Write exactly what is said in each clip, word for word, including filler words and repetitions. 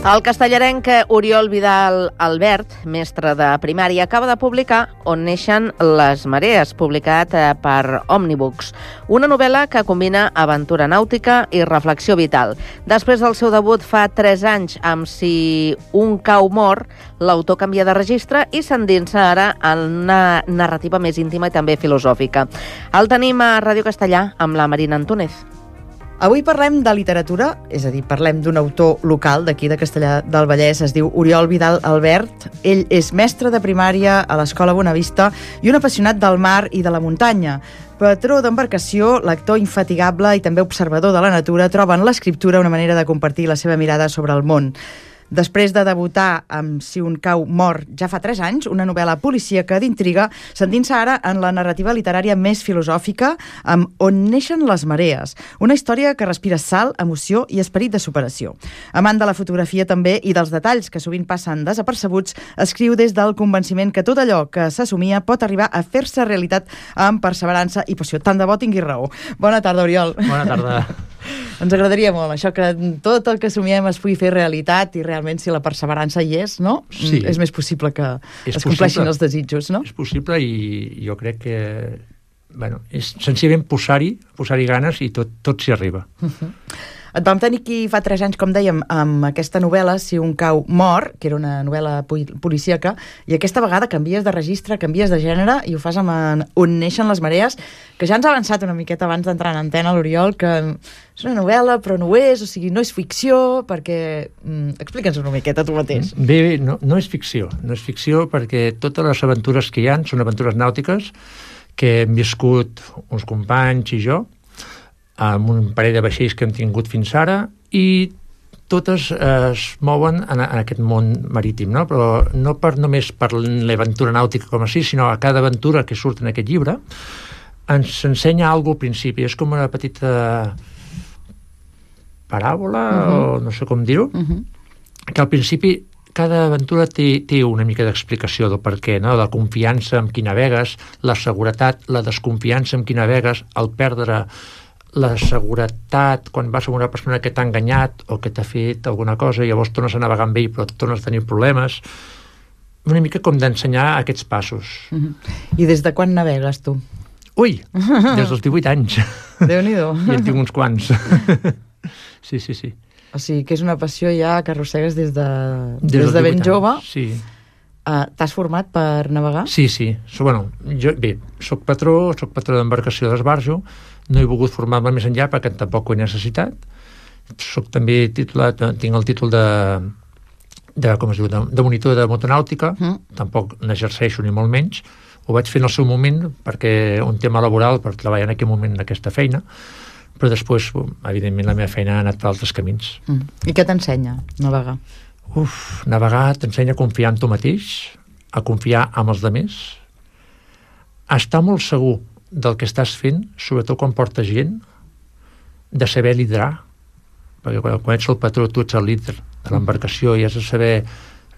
El castellarenc Oriol Vidal Albert, mestre de primària, acaba de publicar On neixen les marees, publicat per Omnibooks, una novel·la que combina aventura nàutica i reflexió vital. Després del seu debut fa tres anys amb Si un cau mor, l'autor canvia de registre i s'endinsa ara en una narrativa més íntima i també filosòfica. El tenim a Ràdio Castellà amb la Marina Antúnez. Avui parlem de literatura, és a dir, parlem d'un autor local d'aquí de Castellar del Vallès, es diu Oriol Vidal Albert. Ell és mestre de primària a l'Escola Bonavista i un apassionat del mar i de la muntanya. Patró d'embarcació, lector infatigable i també observador de la natura, troba en l'escriptura una manera de compartir la seva mirada sobre el món. Després de debutar amb Si un cau mor ja fa tres anys, una novel·la policíaca d'intriga, s'endinsa ara en la narrativa literària més filosòfica amb On neixen les marees, una història que respira sal, emoció i esperit de superació. Amant de la fotografia també i dels detalls que sovint passen desapercebuts, escriu des del convenciment que tot allò que s'assumia pot arribar a fer-se realitat amb perseverança i passió. Tant de bo tingui raó. Bona tarda, Oriol. Bona tarda. Ens agradaria molt això, que tot el que somiem es pugui fer realitat i realment si la perseverança hi és, no? Sí. És més possible que és es compleixin possible. Els desitjos, no? És possible i jo crec que bueno, és senzillament posar-hi posar-hi ganes i tot, tot s'hi arriba. Uh-huh. Et vam tenir aquí fa tres anys, com dèiem, amb aquesta novel·la Si un cau mor, que era una novel·la policíaca, i aquesta vegada canvies de registre, canvies de gènere i ho fas amb On neixen les marees, que ja ens ha avançat una miqueta abans d'entrar en antena, l'Oriol, que és una novel·la però no ho és, o sigui, no és ficció, perquè... Mm, explica'ns una miqueta tu mateix. Bé, no, no és ficció, no és ficció perquè totes les aventures que hi ha són aventures nàutiques que hem viscut uns companys i jo, amb un parell de vaixells que hem tingut fins ara, i totes eh, es mouen en, en aquest món marítim, no? Però no per, només per l'aventura nàutica com així, sinó a cada aventura que surt en aquest llibre ens ensenya alguna cosa al principi. És com una petita paràbola, uh-huh. o no sé com dir-ho, uh-huh. que al principi cada aventura té, té una mica d'explicació del per què, no? La confiança amb qui navegues, la seguretat, la desconfiança amb qui navegues, el perdre la seguretat quan vas amb una persona que t'ha enganyat o que t'ha fet alguna cosa i llavors tornes a navegar amb ell però tornes a tenir problemes. Una mica com d'ensenyar aquests passos. Uh-huh. I des de quan navegues, tu? Ui, des dels divuit anys. Déu-n'hi-do. I en tinc uns quants. Sí, sí, sí. O sigui, que és una passió ja que arrossegues des de, des des de ben jove. Sí. Uh, T'has format per navegar? Sí, sí. So, bueno, jo, bé, soc patró, soc patró d'embarcació d'esbarjo, no he volgut formar-me més enllà perquè tampoc ho he necessitat. Soc també titulat, tinc el títol de, de com es diu, de, de monitor de motonàutica, mm. tampoc n'exerceixo ni molt menys. Ho vaig fer en el seu moment perquè un tema laboral per treballar en aquell moment en aquesta feina, però després, evidentment, la meva feina ha anat per altres camins. Mm. I què t'ensenya navegar? Uf, navegar t'ensenya a confiar en tu mateix, a confiar en els altres, a estar molt segur del que estàs fent, sobretot quan portes gent, de saber liderar, perquè quan, quan ets el patró tu ets el líder de l'embarcació i has de saber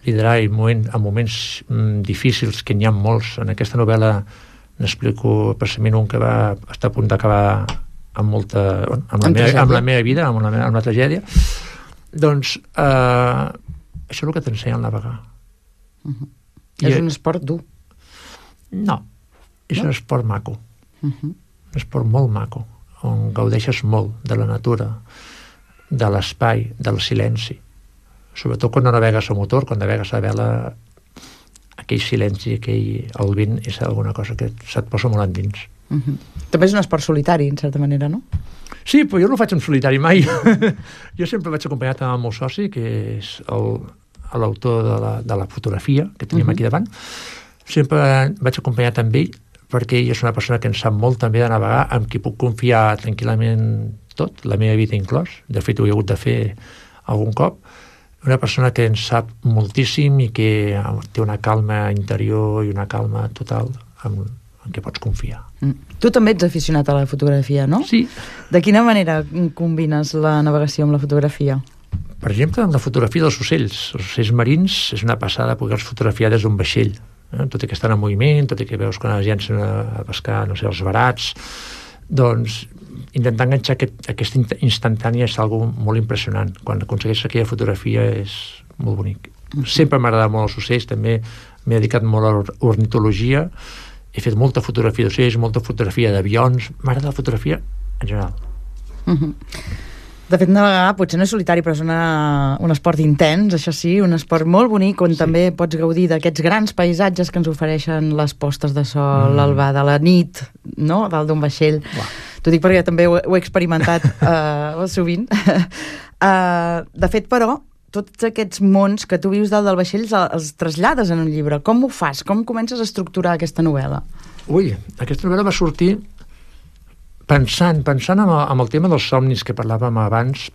liderar en, moment, en moments mm, difícils, que n'hi ha molts. En aquesta novel·la n'explico precisament un que va estar a punt d'acabar amb molta... amb la, meva, amb la meva vida, amb una, amb una tragèdia. Doncs eh, això és el que t'ensenya a navegar. Uh-huh. I, és un esport dur. No, és no? un esport maco. Uh-huh. Un esport molt maco, on gaudeixes molt de la natura, de l'espai, del silenci. Sobretot quan no navegues a motor, quan navegues a vela, aquell silenci, aquell, el vent, és alguna cosa que se't posa molt endins. Uh-huh. També és un esport solitari, en certa manera, no? Sí, però jo no ho faig en solitari mai. Jo sempre vaig acompanyat amb el meu soci, que és l'autor de, la, de la fotografia que tenim uh-huh. aquí davant. Sempre vaig acompanyat amb ell, perquè ell és una persona que en sap molt també de navegar, amb qui puc confiar tranquil·lament tot, la meva vida inclòs. De fet, ho he hagut de fer algun cop. Una persona que en sap moltíssim i que té una calma interior i una calma total en, en què pots confiar. Mm. Tu també ets aficionat a la fotografia, no? Sí. De quina manera combines la navegació amb la fotografia? Per exemple, amb la fotografia dels ocells. Els ocells marins és una passada poder-los fotografiar des d'un vaixell. Eh? Tot i que estan en moviment, tot i que veus quan es llancen a pescar, no sé, els verats, doncs intentar enganxar aquest, aquesta instantània és algo molt impressionant. Quan aconsegueix aquella fotografia és molt bonic. Sempre m'ha agradat molt els ocells, també m'he dedicat molt a l'ornitologia, he fet molta fotografia d'ocells, molta fotografia d'avions, m'agrada la fotografia en general. Uh-huh. De fet, navegar potser no és solitari, però és una, un esport intens, això sí, un esport molt bonic on sí. també pots gaudir d'aquests grans paisatges que ens ofereixen les postes de sol, mm. l'alba de la nit, no?, dalt d'un vaixell. Wow. T'ho dic perquè també ho, ho he experimentat uh, sovint. uh, de fet, però, tots aquests mons que tu vius dalt del vaixell els, els trasllades en un llibre. Com ho fas? Com comences a estructurar aquesta novel·la? Ui, aquesta novel·la va sortir pensant, pensant en el, en el tema dels somnis que parlàvem abans,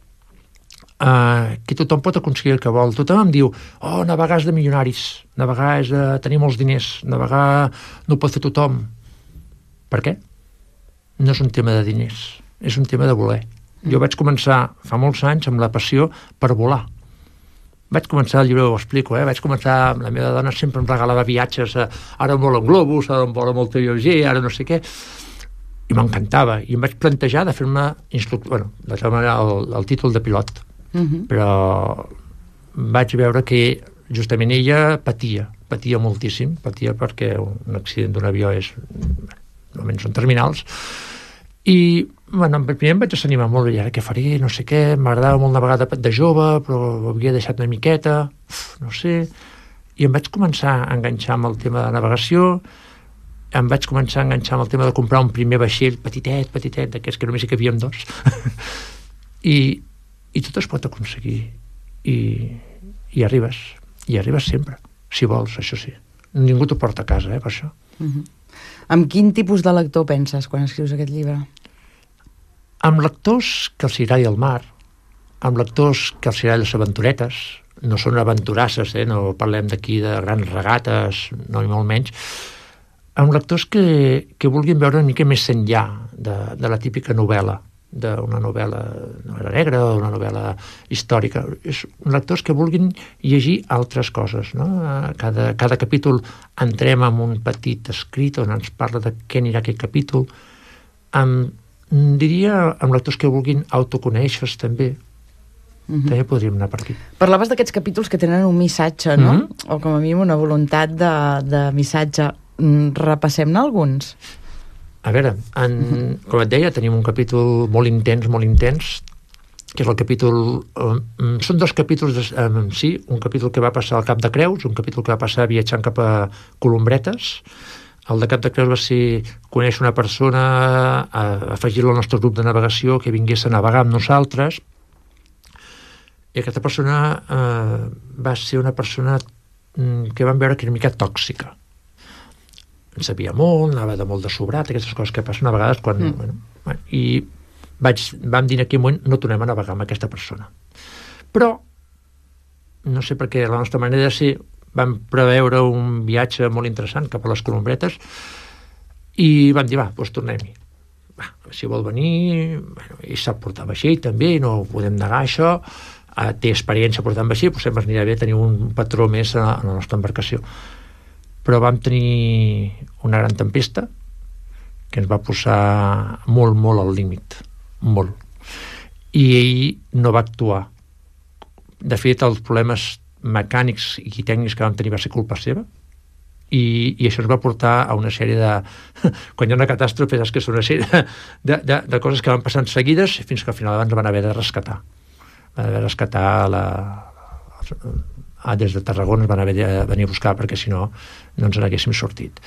eh, que tothom pot aconseguir el que vol. Tothom em diu, oh, navegar és de milionaris, navegar és de tenir molts diners, navegar no ho pot fer tothom. Per què? No és un tema de diners, és un tema de voler. Jo vaig començar fa molts anys amb la passió per volar. Vaig començar, el llibre ho explico, eh? vaig començar, la meva dona sempre em regalava viatges, a, ara em vola un globus, ara em vola molt lleuger, ara no sé què, i m'encantava, i em vaig plantejar de fer-me instructor, bueno, de tal manera el, el títol de pilot, uh-huh. però vaig veure que justament ella patia, patia moltíssim, patia perquè un accident d'un avió és, normalment són terminals, i bueno, primer em vaig desanimar molt, i ara què faré, no sé què, m'agradava molt navegar de, de jove, però ho havia deixat una miqueta, uf, no sé, i em vaig començar a enganxar amb el tema de navegació, em vaig començar a enganxar amb el tema de comprar un primer vaixell petitet, petitet, d'aquests que només hi cabíem dos. I, I tot es pot aconseguir. I, i arribes. I arribes sempre, si vols, això sí. Ningú t'ho porta a casa, eh, per això. Uh-huh. Amb quin tipus de lector penses quan escrius aquest llibre? Amb lectors que els agradi el mar, amb lectors que els agradi les aventuretes, no són aventurasses, eh, no parlem d'aquí de grans regates, no ni molt menys, amb lectors que, que vulguin veure una mica més enllà de, de la típica novel·la, d'una novel·la, novel·la negra o una novel·la històrica. És lectors que vulguin llegir altres coses, no? Cada, cada capítol entrem en un petit escrit on ens parla de què anirà aquest capítol. Amb, diria amb lectors que vulguin autoconèixer-se també. Uh-huh. També podríem anar per aquí. Parlaves d'aquests capítols que tenen un missatge, no? Uh-huh. O com a mínim una voluntat de, de missatge. Repassem-ne alguns. A veure, en, uh-huh. com et deia, tenim un capítol molt intens, molt intens, que és el capítol... Um, són dos capítols, de, um, sí, un capítol que va passar al Cap de Creus, un capítol que va passar viatjant cap a Colombretes. El de Cap de Creus va ser conèixer una persona, a, afegir-la al nostre grup de navegació, que vingués a navegar amb nosaltres, i aquesta persona eh, va ser una persona que vam veure que era una mica tòxica. En sabia molt, anava de molt de sobrat, aquestes coses que passen a vegades quan... Mm. Bueno, i vaig, vam dir en aquell moment no tornem a navegar amb aquesta persona. Però, no sé per què, la nostra manera de ser, vam preveure un viatge molt interessant cap a les Colombretes i vam dir, va, doncs tornem-hi. Va, si vol venir, bueno, i sap portar vaixell també, no podem negar això, té experiència portant vaixell, doncs sempre anirà bé tenir un patró més a la nostra embarcació. Però vam tenir una gran tempesta que ens va posar molt, molt al límit. Molt. I ell no va actuar. De fet, els problemes mecànics i tècnics que vam tenir va ser culpa seva. I, i això ens va portar a una sèrie de... Quan hi ha una catàstrofe, és que és una sèrie de, de, de, de coses que van passant seguides fins que al final ens van haver de rescatar. Van haver de rescatar la... Ah, des de Tarragona ens van haver de venir a buscar perquè si no, no ens n'haguéssim sortit.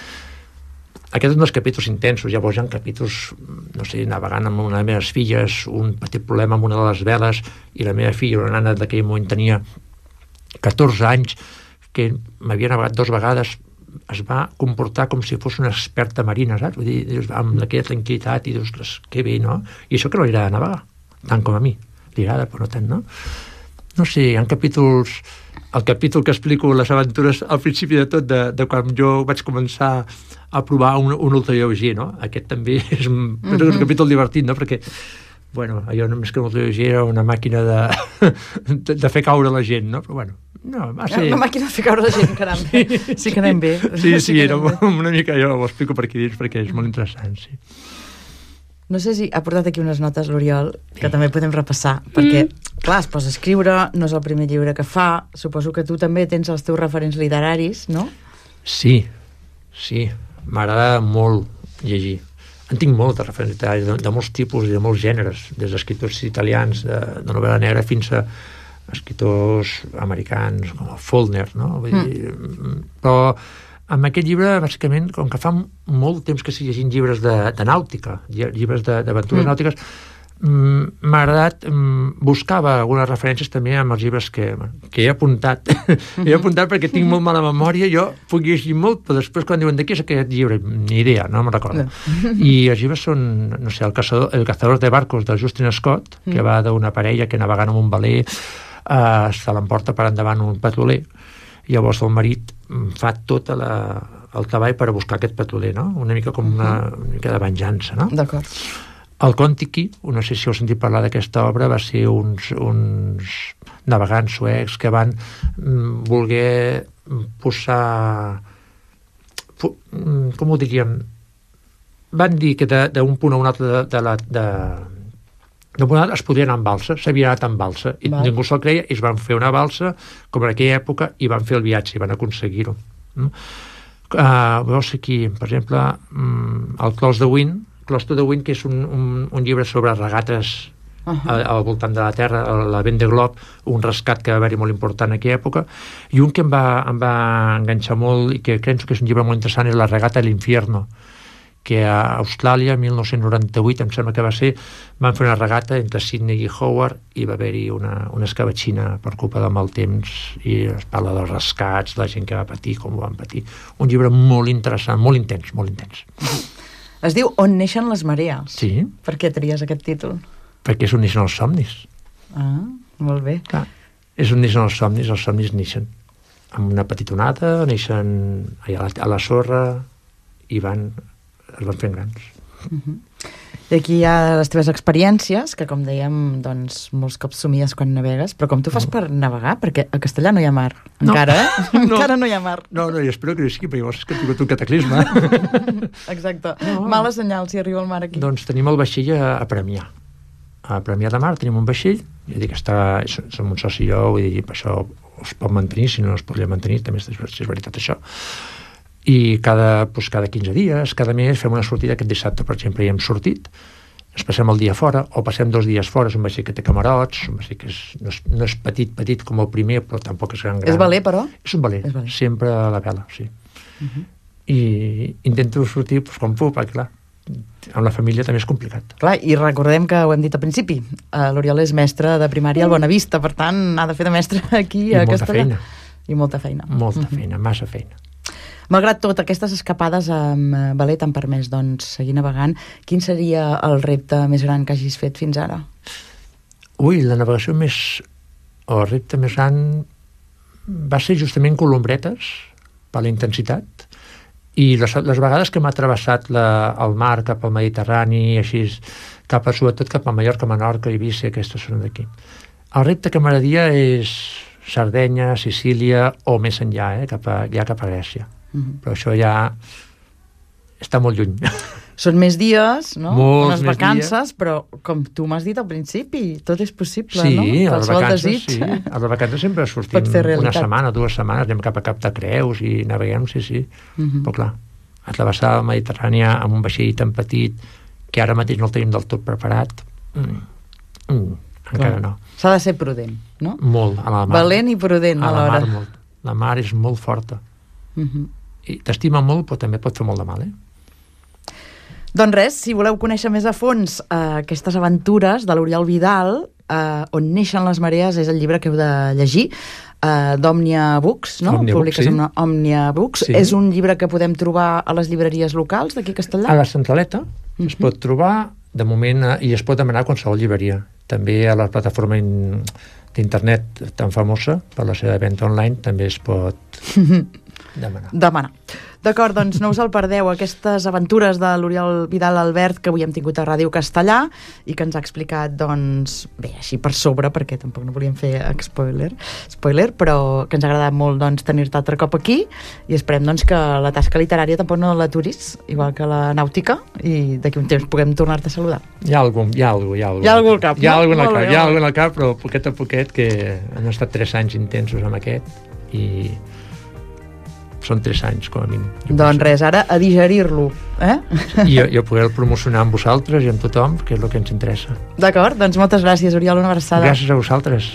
Aquests són dos capítols intensos. Llavors hi ha capítols, no sé, navegant amb una de les meves filles, un petit problema amb una de les veles, i la meva filla, una nana d'aquell moment tenia catorze anys, que m'havia navegat dues vegades, es va comportar com si fos una experta marina, saps? Vull dir, dius, amb aquella tranquil·litat, i dius, que bé, no? I això que no li agrada navegar, tant com a mi. Li agrada, però no tant, no? No sé, hi ha capítols... El capítol que explico les aventures al principi de tot, de, de quan jo vaig començar a provar un, un ultralleuger, no? Aquest també és un, mm-hmm. és un capítol divertit, no? Perquè, bueno, allò només que un ultralleuger era una màquina de, de, de fer caure la gent, no? Però bueno, no, va ser... Una màquina de fer caure la gent, caram. Sí, sí que anem bé. Sí, sí, sí era una mica, jo ho explico per aquí dins perquè és molt interessant, sí. No sé si ha portat aquí unes notes, l'Oriol, que també podem repassar, perquè, clar, es posa a escriure, no és el primer llibre que fa, suposo que tu també tens els teus referents literaris, no? Sí, sí, m'agrada molt llegir. En tinc molt de referents literaris, de, de molts tipus i de molts gèneres, des d'escriptors italians, de, de novel·la negra, fins a escriptors americans, com el Faulkner, no? Vull dir, mm. Però amb aquest llibre, bàsicament, com que fa molt temps que estic llegint llibres de, de nàutica, llibres d'aventures mm. nàutiques, m'ha agradat, buscava algunes referències també amb els llibres que, que he apuntat. he apuntat perquè tinc molt mala memòria, jo puc llegir molt, però després quan diuen de què és aquest llibre, ni idea, no me'n recordo. No. I els llibres són, no sé, el caçador, el cazador de barcos del Justin Scott, que mm. va d'una parella que navegant amb un veler eh, se l'emporta per endavant un petroler. Llavors el marit fa tot la, el treball per a buscar aquest petroler, no? Una mica com una, una mica de venjança, no? D'acord. El Kon-Tiki, no sé si heu sentit parlar d'aquesta obra, va ser uns, uns navegants suecs que van mm, voler posar... Pu, com ho diríem? Van dir que d'un punt a un altre de, de la... De, de punt a l'altre es podria anar amb balsa, s'havia anat amb balsa, i Val. ningú se'l creia, i es van fer una balsa, com en aquella època, i van fer el viatge, i van aconseguir-ho. No? Uh, veus aquí, per exemple, um, el Close the Wind, Close to the Wind, que és un, un, un llibre sobre regates uh -huh. al, al voltant de la Terra, la Vendée Globe, un rescat que va haver-hi molt important en aquella època, i un que em va, em va enganxar molt i que crec que és un llibre molt interessant és La regata de l'Infierno, que a Austràlia, mil nou-cents noranta-vuit, em sembla que va ser, van fer una regata entre Sydney i Hobart i va haver-hi una, una escabatxina per culpa del mal temps, i es parla dels rescats, la gent que va patir, com ho van patir. Un llibre molt interessant, molt intens, molt intens. Es diu On neixen les marees. Sí. Per què tries aquest títol? Perquè és on neixen els somnis. Ah, molt bé. Clar, és on neixen els somnis, els somnis neixen amb una petita onada, neixen allà a la, a la sorra i van, es van fent grans. Uh-huh. I aquí hi ha les teves experiències, que com dèiem, doncs, molts cops somies quan navegues, però com tu fas no. per navegar? Perquè a Castellà no hi ha mar, no. encara, eh? No. Encara no hi ha mar. No, no, i espero que no sigui, perquè llavors és que he tingut un cataclisme. Exacte. No. Mala senyal si arriba el mar aquí. Doncs tenim el vaixell a, a Premià. A Premià de Mar tenim un vaixell, ja dic, està, som un soci i jo, vull dir, per això es pot mantenir, si no, no es podria mantenir, també és, és veritat això. I cada, doncs, cada quinze dies, cada mes, fem una sortida. Aquest dissabte, per exemple, hi hem sortit, ens passem el dia fora, o passem dos dies fora. És un vaixell que té camarots, un vaixell que és, no, és, no és petit, petit com el primer, però tampoc és gran, gran. És veler, però? És un veler, veler. Sempre a la vela, sí. Uh-huh. I intento sortir doncs, com puc, perquè clar, amb la família també és complicat. Clar, i recordem que ho hem dit al principi, uh, l'Oriol és mestre de primària al Bonavista, per tant, ha de fer de mestre aquí I a molta Castellà. feina. I molta feina. Molta uh-huh. feina, massa feina. Malgrat tot, aquestes escapades amb veler t'han permès, doncs, seguir navegant. Quin seria el repte més gran que hagis fet fins ara? Ui, la navegació més... o el repte més gran va ser justament Colombretes, per la intensitat, i les, les vegades que m'ha travessat la, el mar cap al Mediterrani, així, cap a, sobretot cap a Mallorca, Menorca, Eivissa, aquestes són d'aquí. El repte que m'agradaria és Sardenya, Sicília, o més enllà, eh, cap a, ja cap a Grècia. Uh-huh. Però això ja està molt lluny. Són més dies, no? Molts Unes més vacances, dies. Però com tu m'has dit al principi, tot és possible, sí, no? Sí, a les vacances, desig. sí. A les vacances sempre sortim una setmana, dues setmanes, anem cap a Cap de Creus i naveguem, sí, sí. Uh-huh. Però clar, a travessar el Mediterrani amb un vaixell tan petit que ara mateix no el tenim del tot preparat, mm, mm, encara no. S'ha de ser prudent, no? Molt, a la mar. Valent i prudent a alhora. La mar, molt. La mar és molt forta. Uh-huh. I t'estima molt, però també pot fer molt de mal, eh? Doncs res, si voleu conèixer més a fons uh, aquestes aventures de l'Oriol Vidal, uh, On neixen les marees, és el llibre que heu de llegir, uh, d'Òmnia Books, no? Òmnia Books, sí. Amb Òmnia Books. Sí. És un llibre que podem trobar a les llibreries locals d'aquí a Castellà? A la Centraleta uh-huh. es pot trobar, de moment, uh, i es pot demanar a qualsevol llibreria. També a la plataforma in, d'internet tan famosa, per la seva venda online, també es pot demanar. Demanar. D'acord, doncs no us el perdeu, aquestes aventures de l'Oriol Vidal Albert que avui hem tingut a Ràdio Castellà i que ens ha explicat, doncs, bé, així per sobre, perquè tampoc no volíem fer spoiler, spoiler però que ens ha agradat molt, doncs, tenir-te altre cop aquí i esperem, doncs, que la tasca literària tampoc no l'aturis, igual que la nàutica, i d'aquí un temps puguem tornar-te a saludar. Hi ha algun, hi ha algú, hi ha algú. Hi ha algú al cap, hi ha no? algú al Molt cap, bé, hi ha molt algú al cap, però poquet a poquet, que han estat tres anys intensos amb aquest i són tres anys, com a mínim. Doncs res, ara a digerir-lo, eh? I jo, jo poder promocionar amb vosaltres i amb tothom, que és el que ens interessa. D'acord, doncs moltes gràcies, Oriol, una abraçada. Gràcies a vosaltres.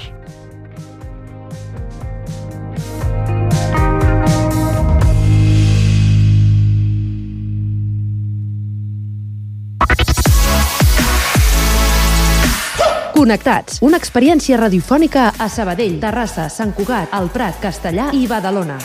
Connectats, una experiència radiofònica a Sabadell, Terrassa, Sant Cugat, El Prat, Castellar i Badalona.